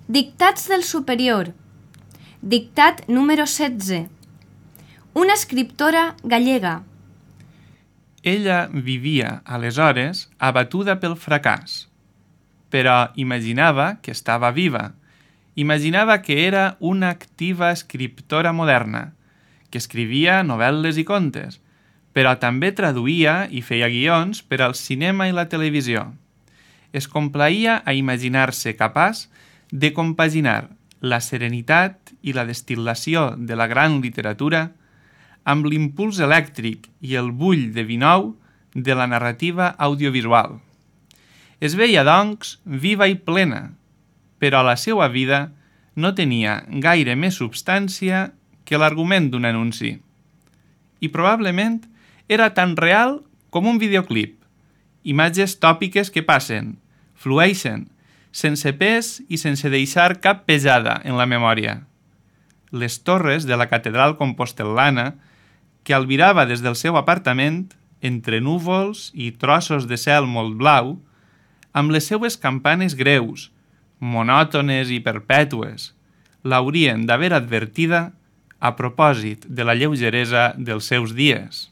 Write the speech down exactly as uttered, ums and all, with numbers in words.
Dictats del superior. Dictat número setze. Una escriptora gallega. Ella vivia, aleshores, abatuda pel fracàs, però imaginava que estava viva. Imaginava que era una activa escriptora moderna, que escrivia novel·les i contes, però també traduïa i feia guions per al cinema i la televisió. Es complaïa a imaginar-se capaç de compaginar la serenitat i la destil·lació de la gran literatura amb l'impuls elèctric i el bull de vi nou de la narrativa audiovisual. Es veia, doncs, viva i plena, però la seva vida no tenia gaire més substància que l'argument d'un anunci. I probablement era tan real com un videoclip, imatges tòpiques que passen, flueixen, sense pes i sense deixar cap pesada en la memòria. Les torres de la catedral compostel·lana, que albirava des del seu apartament, entre núvols i trossos de cel molt blau, amb les seues campanes greus, monòtones i perpètues, l'haurien d'haver advertida a propòsit de la lleugeresa dels seus dies.